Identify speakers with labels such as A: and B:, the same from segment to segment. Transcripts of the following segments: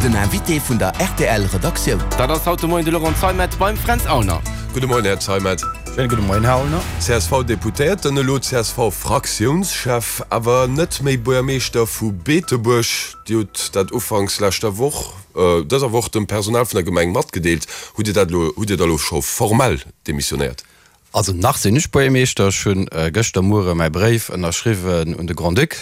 A: Den Invité vun der rtl Redaktioun.
B: Dat ass haut de Moien de Laurent Zeimet beim Fränz Aulner.
C: Gudde Moien, Här Zeimet.
D: Schéine gudde Moien, Här Aulner.
C: CSV-Deputéierten, elo CSV-Fraktiounschef, awer net méi Buergermeeschter vu Beetebuerg. Dir hutt dat ufanks leschter Woch, dëser Woch dem Personal vun der Gemeng matgedeelt. Hutt Dir dat elo, hutt Dir da elo scho formell demissionéiert?
D: Also nach sinn ech Buergermeeschter. Ech hunn gëschter Muere mäi Bréif ënnerschriwwen un de Grand-Duc,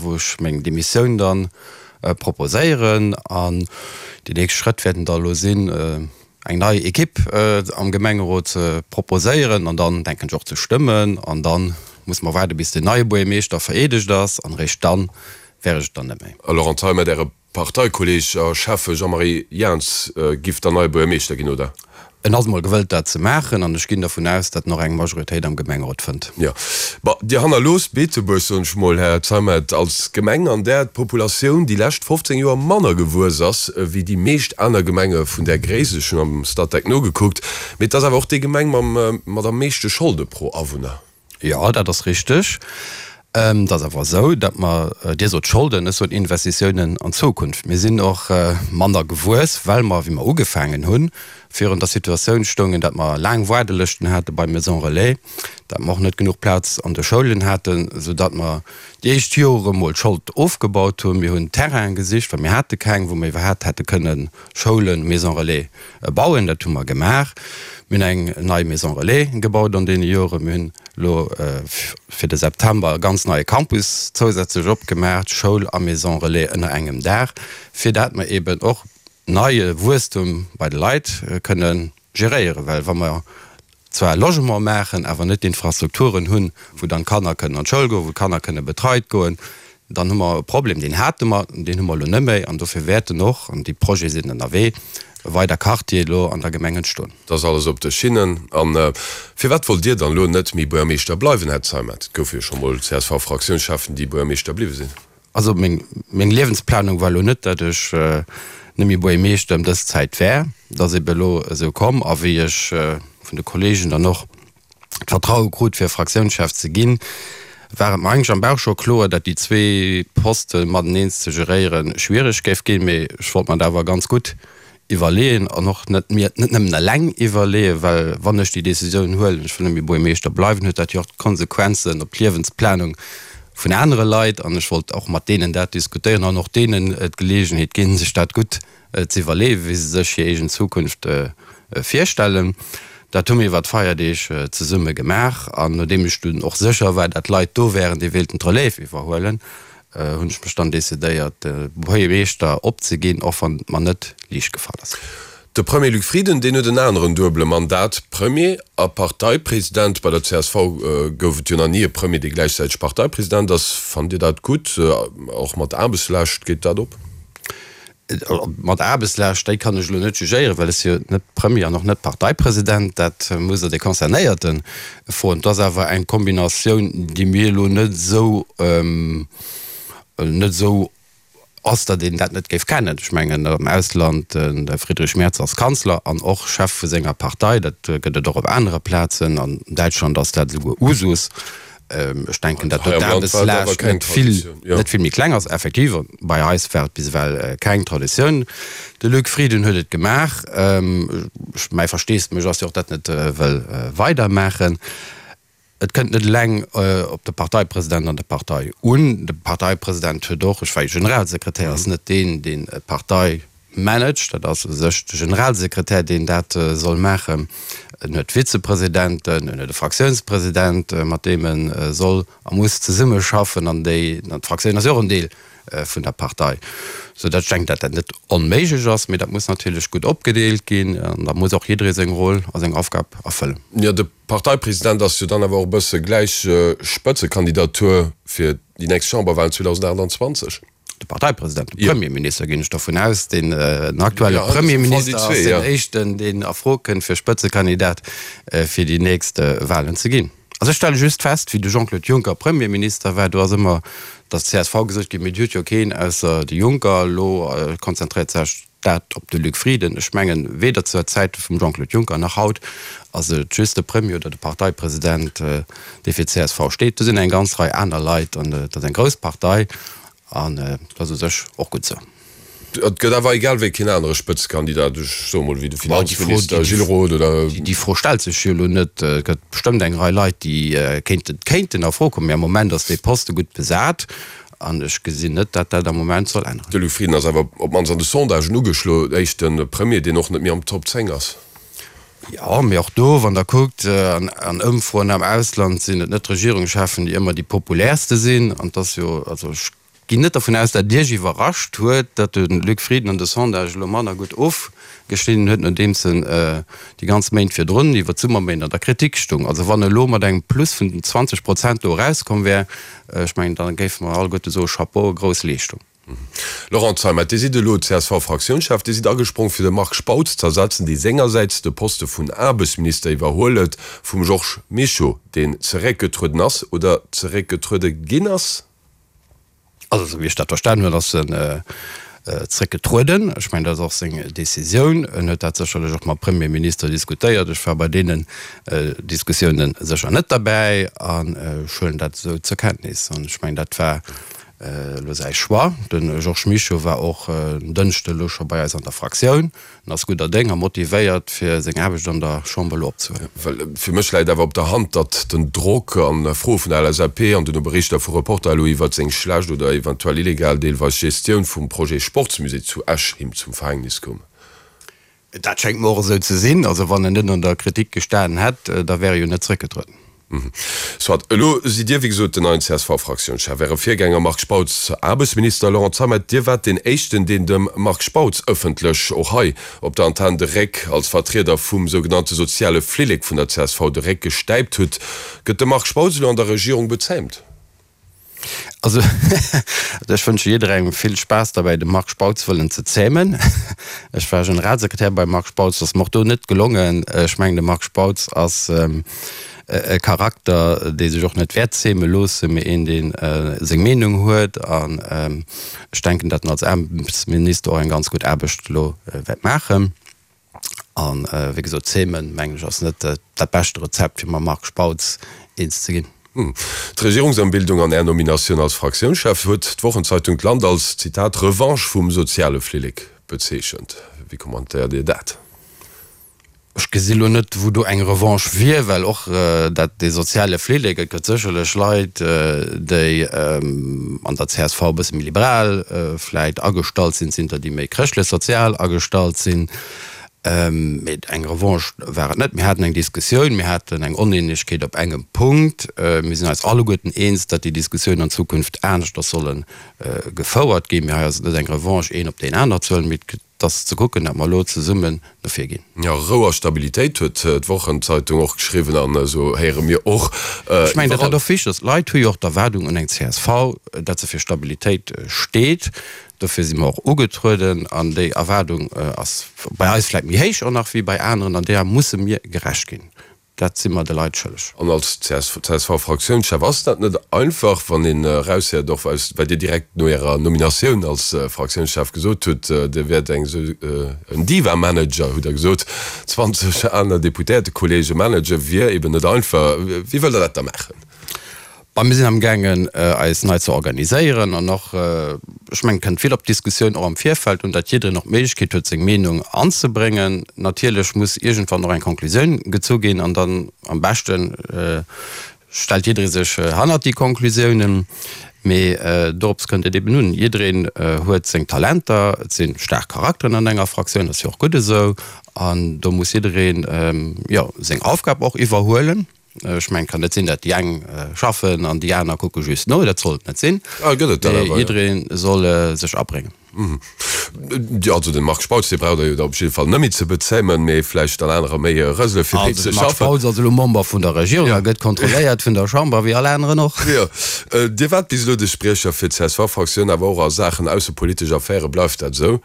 D: wou ech meng Demissioun dann proposéieren. An déi nächst Schrëtt wäerten da elo sinn, eng nei Equipe am Gemengerot ze proposéieren an dann, denken ech, och ze stëmmen. An da musse mer waarde bis den neie Buergermeeschter vereedegt ass an eréischt dann wär ech et dann net méi.
C: A Laurent Zeimet, Äre Parteikolleeg a Schäffe Jean-Marie Jaans giff dann neie Buergermeeschter ginn, oder?
D: En ass emol gewëllt dat ze maachen an ech ginn dervun aus, datt en och eng Majoritéit am Gemengerot fënnt.
C: Jo. Bon, Dir hannerloosst Beetebuerg, soen ech mol, Här Zeimet, als Gemeng, an där d'Populatioun déi lescht 15 Joer manner gewuess ass wéi déi meescht aner Gemenge vun där Gréisst. Ech hunn am Statec nogekuckt. Mee et ass awer och déi Gemeng mam mat am meeschte Scholde pro Awunner.
D: Jo, dat ass richteg. Et ass awer esou, datt mer, Dir sot Scholden, ech soen Investitiounen an d'Zukunft. Mir sinn och manner gewuess, well mer, wéi mer ugefaangen hunn, virun der Situatioun stoungen, datt mer laang Waardelëschten hate bei Maisons Relais, datt mer och net genuch Plaz an de Schoulen haten, soudatt mer déi éischt Jore mol d'Schold ofgebaut hunn. Mir hunn Terrainen gesicht, well mir hate keng, wou mer iwwerhaapt hätte kënnen Schoulen, Maisons Relais bauen. Dat hu mer gemaach. Mir hunn eng nei Maison Relais gebaut an deene Joren. Mir hunn elo fir de September e ganz neie Campus zousätzlech opgemaach, Schoul a Maison Relais ënner engem Daach, fir dat mer eeben och neie Wuesstum bei de Leit kënne geréieren. Well wa mer zwar Logement maachen, awer net d'Infrastrukturen hunn, wou dann d'Kanner kënnen an d'Schoul goen, wou d'Kanner kënne betreit goen, dann hu mer e Problem. Deen hate mer, deen hu mer elo net méi. An dofir wäerten och, an déi Projete sinn ënnerwee, weider Quartiere elo an der Gemeng entstoen.
C: Dat ass alles op de Schinnen. A firwat wollt Dir dann elo net méi Buergermeeschter bleiwen, Här Zeimet? Et goufe jo scho mol CSV-Fraktiounscheffen, déi Buergermeeschter bliwwe sinn.
D: Also meng Liewensplanung war elo net, datt ech net méi Buergermeeschter ëm dës Zäit wär. Et ass ebe elo esou komm. A wéi ech vun de Kolleegen dann och d'Vertraue krut fir Fraktiounschef ze ginn, war et mer eigentlech am Bauch scho kloer, datt déi zwee Poste mateneen ze geréiere schwiereg géif ginn. Mee ech wollt mer dat awer ganz gutt iwwerleeën an och net mir et net nëmmen eleng iwwerleeën, well wann ech déi Decisioun huelen, ech wëll net méi Buergermeeschter bleiwen, huet dat jo och Konsequenzen op d'Liewensplanung vun anere Leit an ech wollt och mat deenen dat diskutéieren an och deenen d'Geleegenheet ginn, sech dat gutt ze iwwerleeën, wéi se sech hir eegen Zukunft virstellen. Dat hu mir iwwer d'Feierdeeg zesumme gemaach an nodeem ech dunn och sécher war, dat Leit do wären, déi wéilten d'Relève iwwerhuelen, hunn ech mech dann decidéiert, de Buergermeeschter opzeginn, och wann et mer net liicht gefall ass.
C: De Premier Luc Frieden, deen huet en aneren duebele Mandat, Premier a Parteipresident. Bei der csv gouf et jo nach ni e Premier, dee gläichzäiteg Parteipresident ass. Fannt Dir dat gutt? Och mat Aarbechtslaascht, geet dat op?
D: Mat Aarbechtslaascht, déi kann ech elo net jugéieren, well ech si jo net Premier an och net Parteipresident. Dat muss Der de Concernéierte froen. Et ass awer eng Kombinatioun, déi mir elo net esou, net esou ass, datt een dat net géif kennen. Ech mengen, am Ausland, de Friedrich Merz ass Kanzler an och Chef vu senger Partei. Dat gëtt et och op anere Plazen. An Däitschland ass dat esouguer Usus. Ech denken, datt do d'Aarbechtslaascht net vill, net vill méi kleng ass. Effektiv, bei eis war et bis ewell keng Traditioun. De Luc Frieden huet et gemaach. Mäi Versteesdemech ass jo och, dat net wëll weidermaachen. Et kënnt net eleng op de Parteipresident an der Partei un. De Parteipresident huet och, ech war jo Generalsekretär, ass net deen, deen d'Partei managt, dat ass u sech de Generalsekretär, deen dat soll maachen. En huet Vizepresidenten, en huet e Fraktiounspresident, mat deem e soll a muss zesummeschaffen, an déi, an d'Fraktioun ass jo och en Deel vun der Partei, sou datt ech denken, datt dat net onméiglech ass, mee dat muss natierlech gutt opgedeelt ginn an da muss och jidderee seng Roll a seng Aufgab erfëllen.
C: Jo, de Parteipresident ass jo dann awer och e bësse gläich Spëtzekandidatur fir déi nächst Chamberwahlen 2028.
D: De Parteipresident, de Premierminister, ginn ech dovun aus, deen aktuelle Premierminister ass deen éischten, deen a Fro kënnt, fir Spëtzekandidat fir déi nächst Wahlen ze ginn. Also ech stelle just fest, wéi de Jean-Claude Juncker Premierminister war, do ass ëmmer der csv gesot ginn, mee Dir hutt jo keen ausser de Juncker. Elo konzentréiert sech dat op de Luc Frieden. Ech mengen, weder zur Zäite vum Jean-Claude Juncker nach haut ass et just de Premier oder de Parteipresident, dee fir d'CSV steet. Do sinn eng ganz Rei aner Leit an et ass eng grouss Partei an dat ass u sech och gutt esou.
C: Et gëtt awer egal wéi keen anere Spëtzekandidat, ech soe mol wéi de Finanzminister Gilles Roth oder.
D: Déi Fro stellt sech jo elo net. Et gëtt bestëmmt eng Rei Leit, déi kéinten, kéinten a Fro kommen, mee am Moment ass dee Poste gutt besat an ech gesinn net, datt dat am Moment soll änneren.
C: De Luc Frieden ass awer op d'mannst an de Sondagen ugeschlo éischte Premier, deen och net méi am Top 10 ass.
D: Jo, mee och do, wann Der kuckt, an Ëmfroen am Ausland sinn et net d'Regierungscheffen, déi ëmmer déi populäerste sinn. An et ass jo, also ech ginn net dervun aus, datt et Iech iwwerrascht huet, datt de Luc Frieden an de Sondagë elo manner gutt ofgeschnidden huet, nodeems en déi ganz Méint virdrun, iwwer d'Summerméint, an der Kritik stung. Also wann e elo mat engem Plus vun 20 Prozent do erauskomm wär, ech mengen, da géife mer alleguerte soe Chapeau, grouss Leeschtung.
C: Laurent Zeimet, Dir sidd elo CSV-Fraktiounschef. Dir sidd agesprong fir de Marc Spautz z'ersetzen, dee sengersäits de Poste vun Aarbechtsminister iwwerhuel huet vum Georges Mischo, deen zeréckgetrueden ass oder zeréckgetruede ginn ass?
D: Also esou wéi ech dat verstanen hunn, ass en zeréckgetrueden. Ech mengen, dat ass och seng Decisioun. En huet dat sécherlech och mam Premierminister diskutéiert. Ech war bei deenen Diskussiounen sécher net derbäi an ech huelen dat esou zur Kenntnis. An ech mengen, dat war elo säi Choix. De Georges Mischo war och en Dënschde elo scho bei eis an der Fraktioun. En ass gudder Déng a motivéiert, fir seng Aarbecht an der Chamber elo opzehuelen.
C: Well fir mech läit awer op der Hand, datt den Drock an Froe vun der LSAP an duerno Berichter vu Reporter elo iwwert seng schlecht oder eventuell illegal deelweis Gestioun vum Projet Sportsmusée zu Esch him zum Verhängnis koum.
D: Dat schéngt mer och esou ze sinn. Also wann en net an der Kritik gestanen hätt, da wär e jo net zrëckgetrueden.
C: Soit. Elo sidd Dir, wéi gesot, den neien CSV-Fraktiounschef. Äre Virgänger Marc Spautz, Aarbechtsminister. Laurent Zeimet, Dir waart deen éischten, deen dem Marc Spautz ëffentlech, och hei op der Antenn, de Réck als Vertrieder vum sougenannte soziale Flillek vun der csv de Réck gestäipt hutt. Gëtt de Marc Spautz elo an der Regierung bezäimt?
D: Also ech wënsche jidderengem vill Spaass derbäi de Marc Spautz wëllen ze zämen. Ech war Generalsekretär beim Marc Spautz, ass mer och do net gelongen. Ech mengen de Marc Spautz ass e Charakter dee sech och net wäert zäme loossen, mee een dee seng Meenung huet an ech denken dat en als Aarbechtsminister och eng ganz gutt Aarbecht elo wäert maachen. An wéi gesot, zämen, mengen ech, ass net dat beschte Rezept, fir mam Marc Spautz eens ze ginn.
C: D'Regierungsëmbildung an Är Nominatioun als Fraktiounschef huet d'Wochenzeitung d'Land als, Zitat, Revanche vum soziale Flillek bezeechent. Wéi kommentéiert Dir dat?
D: Ech gesi lo net, wou do eng Revanche wier, well och dat, dee soziale Flillek, et gëtt sécherlech Leit, déi an der csv e bësse méi liberal vläit agestallt sinn, et sinn der, déi méi chrëschtlech-sozial agestallt sinn. Mee eng Revanche war et net. Mir haten eng Diskussioun, mir haten eng Oneenegkeet op engem Punkt. Mir sinn eis alleguerten eens, datt déi Diskussioun an Zukunft aneschters solle gefouert ginn. Mee hei ass et net eng Revanche, een op deen aner ze huelen, mee et Et ass ze kucken, datt mer elo zesummen no vir ginn.
C: Jo, Rou a Stabilitéit huet d'Wochenzeitung och geschriwwen an esou héiere mir och
D: iwwerall. Ech mengen, datt dat och wichteg ass. D'Leit hu jo och d'Erwaardung un eng csv, datt se fir Stabilitéit steet. Dofir si mer och ugetrueden an déi Erwaardung ass bei eis vläicht méi héich och nach wéi bei aneren an deeër musse mir gerecht ginn. Dat si mer de Leit schëlleg.
C: An als CSV-Fraktiounschef ass dat net einfach, wann een eraushéiert, och aus wat Dir direkt no Ärer Nominatioun als Fraktiounschef gesot hutt, Dir wäert eng esou en Diva-Manager, hutt Der gesot, 20 aner Deputéiertekolleege managen, wier eben net einfach. Wéi wëllt Der dat da maachen?
D: Bon, mir sinn amgaangen, eis nei ze organiséieren an och, ech mengen, et kënnt vill op d'Diskussioun och am Virfeld un, datt jiddereen och d'Méiglechkeet huet, seng Meenung anzebréngen. Natierlech muss iergendwann och eng Konklusioun gezu ginn an dann am beschte stellt jidderee sech hannert déi Konklusiounen. Mee dorops kënnt et eben un, Jiddereen huet seng Talenter, et si staark Charakteren an enger Fraktioun, dat ass jo och gutt esou, an do muss jiddereen, jo, seng Aufgab och iwwerhuelen. Ech mengen, et kann net sinn, datt déi eng schaffen an déi aner kucke just no. Dat soll et net sinn.
C: Ah, gëtt et dat awer, jo.
D: Jidderee soll sech abréngen.
C: Jo, also de Marc Spautz, dee braucht Der jo da op jidde Fall net méi ze bezéimen, mee vläicht dann anerer méi rësele fir méi ze schaffen.
D: Also de Marc Spautz ass elo Member vun der Regierung a gëtt kontrolléiert vun der Chamber, wéi all aneren och.
C: Jo. Dir waart bis elo de Spriecher fir d'CSV-Fraktioun, awer och a Saachen aussepolitesch Affäre. Bleift dat esou?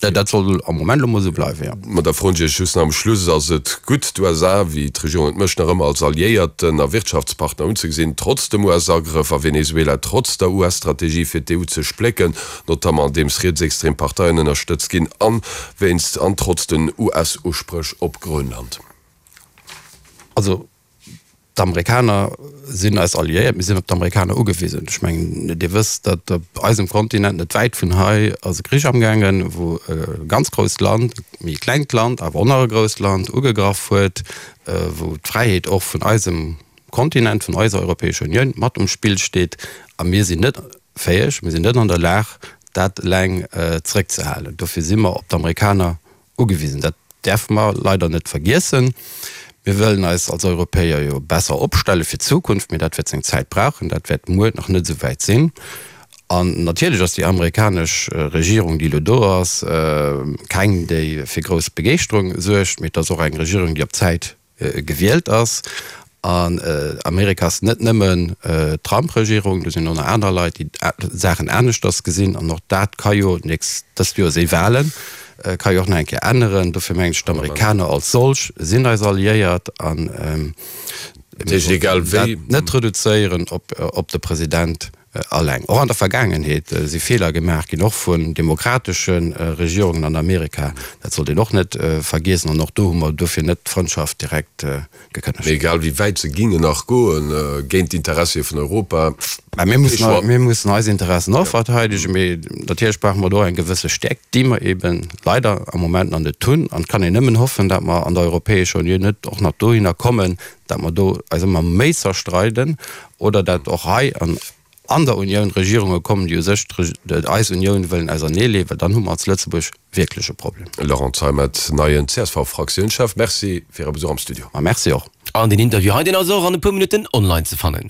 D: Dat soll am Moment elo mol esou bleiwen, jo.
C: Ma da froen ech Iech just nach am Schluss, Ass et gutt, d'USA, wéi d'Regierung et mécht, nach ëmmer als Alliéierten a Wirtschaftspartner unzegesinn, trotz dem US-Agrëff a Venezuela, trotz der US-Strategie fir d'EU ze splécken, notamment andeems rietsextrem Parteien ënnerstëtzt ginn, an wéinst an trotz den US-Uspréch op Grönland?
D: Also. D'Amerikaner sinn eis Alliéiert, mir sinn op d'Amerikaner ugewisen. Ech mengen, Dir wësst, datt op eisem Kontinent, net wäit vun hei, ass e Krich amgaangen, wou e ganz grousst Land, e méi klengt Land, awer och nach e grousst Land, ugegraff huet, wou d'Fräiheet och vun eisem Kontinent, vun eiser Europäescher Unioun mat um Spill steet. A mir sinn net fäeg, mir sinn net an der Lag, dat eleng zeréckzehalen. Dofir si mer op d'Amerikaner ugewisen. Dat däerfe mer leider net vergiessen. Mir wëllen eis als Europäer jo besser opstelle fir d'Zukunft, mee dat wäert seng Zäit brauchen. Dat wäert muer nach net esou wäit sinn. An natierlech ass déi amerikanesch Regierung, déi elo do ass, keng, déi fir grouss Begeeschterung suergt, mee et ass och eng Regierung, déi op Zäit gewielt ass. An Amerika ass net nëmmen d'Trump-Regierung, do sinn och nach aner Leit, déi d'Saachen aneschters gesinn. An och dat ka jo nächst, dëst Joer si Wahlen, ka jo och nach eng Kéier änneren. Dofir mengen ech, d'Amerikaner als solch sinn eis Alliéiert an mir sollten dat net reduzéieren op de President Alleng. Och an der Vergaangenheet si Feeler gemaach ginn, och vun demokratesche Regierungen an Amerika. Dat sollt een och net vergiessen. An och do hu mer dofir net d'Frëndschaft direkt gekënnegt.
C: Mee egal wéi wäit se gingen nach goen, géint d'Interessie vun Europa,
D: Mä mir mussen, mir mussen eis Interessen och verteidegen. Mee natierlech brauche mer do eng gewësse Stäerkt, déi mer eeben leider am Moment nach net hunn. An et kann een nëmmen hoffen, datt mer an der Europäescher Unioun net och nach dohinner kommen, dat mer do eis ëmmer méi zerstreiden oder dat och hei an an der Unioun Regierunge kommen, déi u sech eis Unioun wëllen auserneeleeën, well dann hu mer als Lëtzebuerg wierklech e Problem.
C: Laurent Zeimet, neien CSV-Fraktiounschef, Merci fir Är Besuch am Studio.
D: Ma merci och.
B: An deen Interview hei, deen ass och an e puer Minutten online ze fannen.